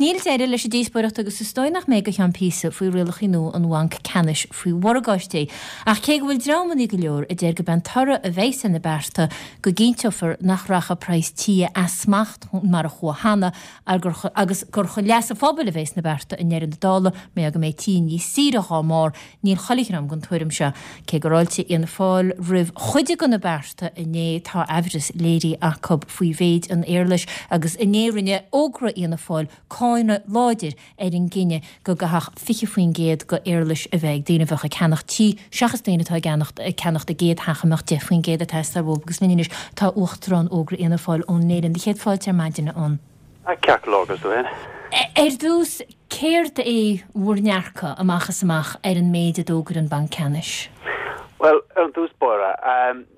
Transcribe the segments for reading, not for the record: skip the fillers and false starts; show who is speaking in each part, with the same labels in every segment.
Speaker 1: níl deireadh leis an díospóireacht agus is dóigh nach mbeidh go cheann píosa faoi rialacha nua an Bhainc Ceannais faoi mhorgáistí. Ach cé go bhfuil dreamannaí go leor a deir gurb é an toradh a bheas ar na bearta go gcinnteofar nach rachaidh praghas tithe as smacht mar a chuaigh cheana agus gur chun leas an phobail a bheas na bearta i ndeireadh na dála mar gheall go mbeidh tithe níos saoire dhá mbarr, Níl chuile dhream den tuairim seo. Cé gur fháiltigh Fhianna Fáil roimh chuid de na bearta inné, tá aimhreas léirithe acu faoi mhéid an éarlais agus inné rinne Ógra Fhianna Fáil cáineadh láidir ar an gcinneadh go gcaithfeadh 20% de éarlais a bheith ag daoine a bheadh ag ceannacht tí seachas daoine atá ag ceannacht a gcéad theach a mbeadh 10% ag teastáil uathu agus linn anois tá Uachtarán Ógra Fhianna Fáil, Eoin Neylon. Céad fáilte ar maidin, a Eoin.
Speaker 2: Ceart go leor, agus tú féin?
Speaker 1: Ar dtús, céard é bhur ndearcadh amach is amach ar an méid a d'fhógair an Banc Ceannais?
Speaker 2: Bhuel, ar an dtús báire,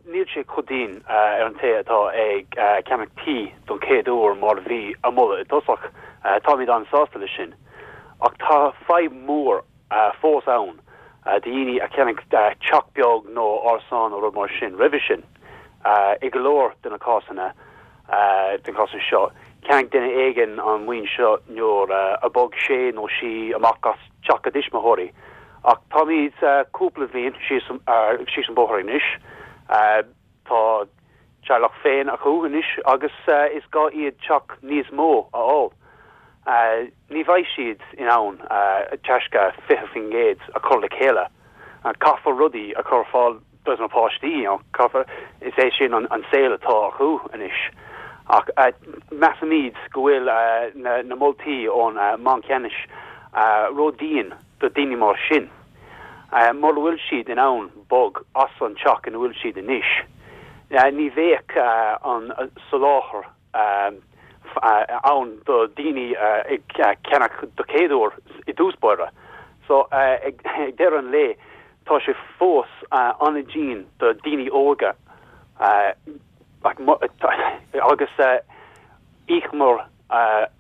Speaker 2: níl sé chomh dian ar an té atá ag ceannach tí don chéad uair mar a bhí á moladh i dtosach. Táimid an-sásta leis sin. Ach tá fadhb mhór fós ann do dhaoine a cheannaigh teach beag nó árasán nó rud mar sin roimhe sin. I go leor de na cásanna de na cásanna seo, cheannaigh duine éigin an mhaoin seo nuair a bhog sé nó sí amach as teach a dtuismitheoirí. Ach táimid cúpla bhliain síos síos an bóthar anois. Tá teaghlach féin acu anois agus is gá iad teach níos mó a fháil. Ní bheidh siad in ann taisce 20% a chur le chéile. Caithfear rudaí a chur ar fáil dos na páistí, caithfear, is é sin an saol atá acu anois. Ach measaimid go bhfuil na moltaí ón mBanc Ceannais ró-dhian do daoine mar sin. Mura bhfuil siad in ann bog as an teach ina bhfuil siad anois, ní bheadh an soláthar ann do daoine ag ceannach do chéad uair i dtús báire. So, ag deireadh an lae, tá sé fós an-dian do daoine óga agus íocamar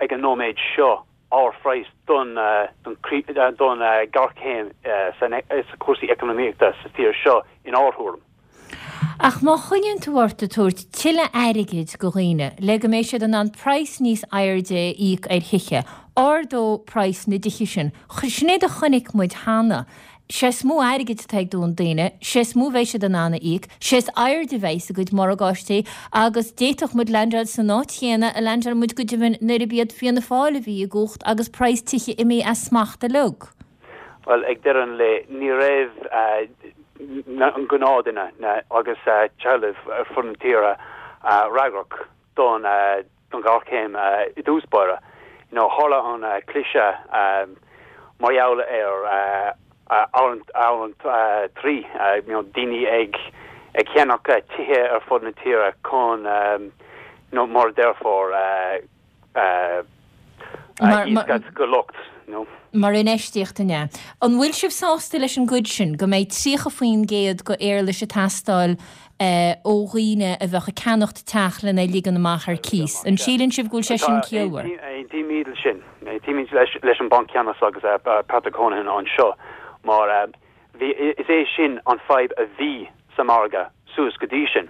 Speaker 2: ag an nóiméad seo ardphraghas don don ghéarchéim sna cúrsaí eacnamaíochta sa tír seo inár thuairim.
Speaker 1: Ach má choinníonn tú ort ag tabhairt tuilleadh airgid go dhaoine le go mbeidh siad in ann praghas níos airde a íoc ar thithe, ardóidh praghas na dtithe sin. Sin é a chonaic muid cheana. 'Sé is mó airgid atá ag daoine, 'sé is mó a bheidh siad in ann a íoc, 'sé is airde a bheidh a gcuid morgáistí agus d'fhéadfadh muid leaindeáil san áit chéanna a leaindeáil muid go deimhin nuair a b'iad Fianna Fáil a bhí i gcumhacht agus praghas tithe imithe as smacht uilig.
Speaker 2: Bhuel, ag deireadh an lae, ní raibh an gnáthduine agus teaghlaigh ar fud na tíre freagrach don don ghéarchéim i dtús báire. You know, tharla an cliseadh mar gheall ar amhrán 3, you know, daoine ag ag ceannach tithe ar fud na tíre chun, you know, mar a déarfá, íoscaint go lucht, you know.
Speaker 1: Mar infheistíocht, an ea? An bhfuil sibh sásta leis an gcuid sin, go mbeidh 30% go éarlais ag teastáil ó dhaoine a bheadh ag ceannacht teach lena ligean amach ar cíos? An síleann sibh go bhfuil sé sin ciallmhar?
Speaker 2: Aontaímid leis sin. Aontaímid leis an Banc Ceannais agus Patrick Honohan anseo mar bhí, is é sin an fadhb a bhí sa margadh suas go dtí sin,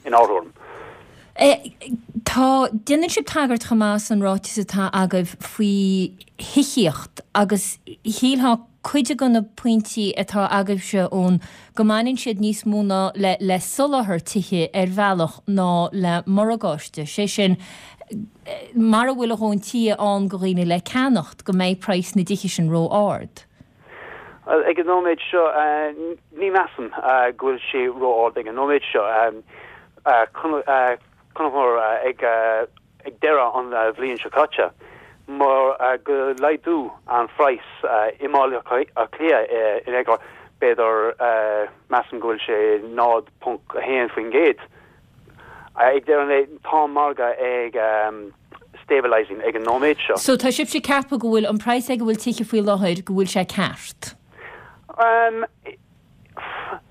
Speaker 2: inár thuairim.
Speaker 1: Tá, déanann sibh tagairt chomh maith san ráiteas atá agaibh faoi thithíocht agus shílfeá cuid de na pointí atá agaibhse ann go mbaineann siad níos mó ná le le soláthar tithe ar bhealach ná le morgáiste, sé sin mara bhfuil a dhóthain tithe ann go dhaoine le ceannacht go mbeidh praghas na dtithe sin ró-ard.
Speaker 2: Bhuel, ag an nóiméad seo, ní mheasaim go bhfuil sé ró-ard ag an nóiméad seo. Chonaiceamar ag deireadh an bhliain seo caite mar go laghdú an phraghas i mBaile Átha Cliath in aon chor, b'fhéidir, measaim go bhfuil sé 0.1%. Ag deireadh an lae, tá an margadh ag stabilising ag an nóiméad seo.
Speaker 1: So tá sibhse ag ceapadh go bhfuil an praghas ag a bhfuil tithe faoi láthair, go bhfuil sé ceart?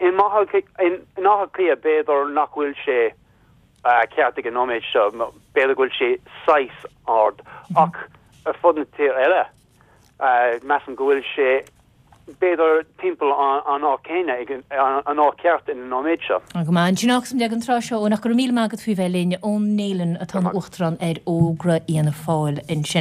Speaker 2: In Áth Cliath b'fhéidir nach bhfuil sé ceart ag an nóiméad seo, b'fhéidir go bhfuil sé saghas ard ach ar fud na tíre eile, Measaim go bhfuil sé, b'fhéidir, timpeall an áit céanna, an áit ceart ag an nóiméad seo.
Speaker 1: Go maith. Ansin fágfaimid ag an tráth seo, Eoin, ach go raibh míle maith agat faoi bheith linn. Eoin Neylon atá ina Uachtarán ar Ógra Fhianna Fáil ansin.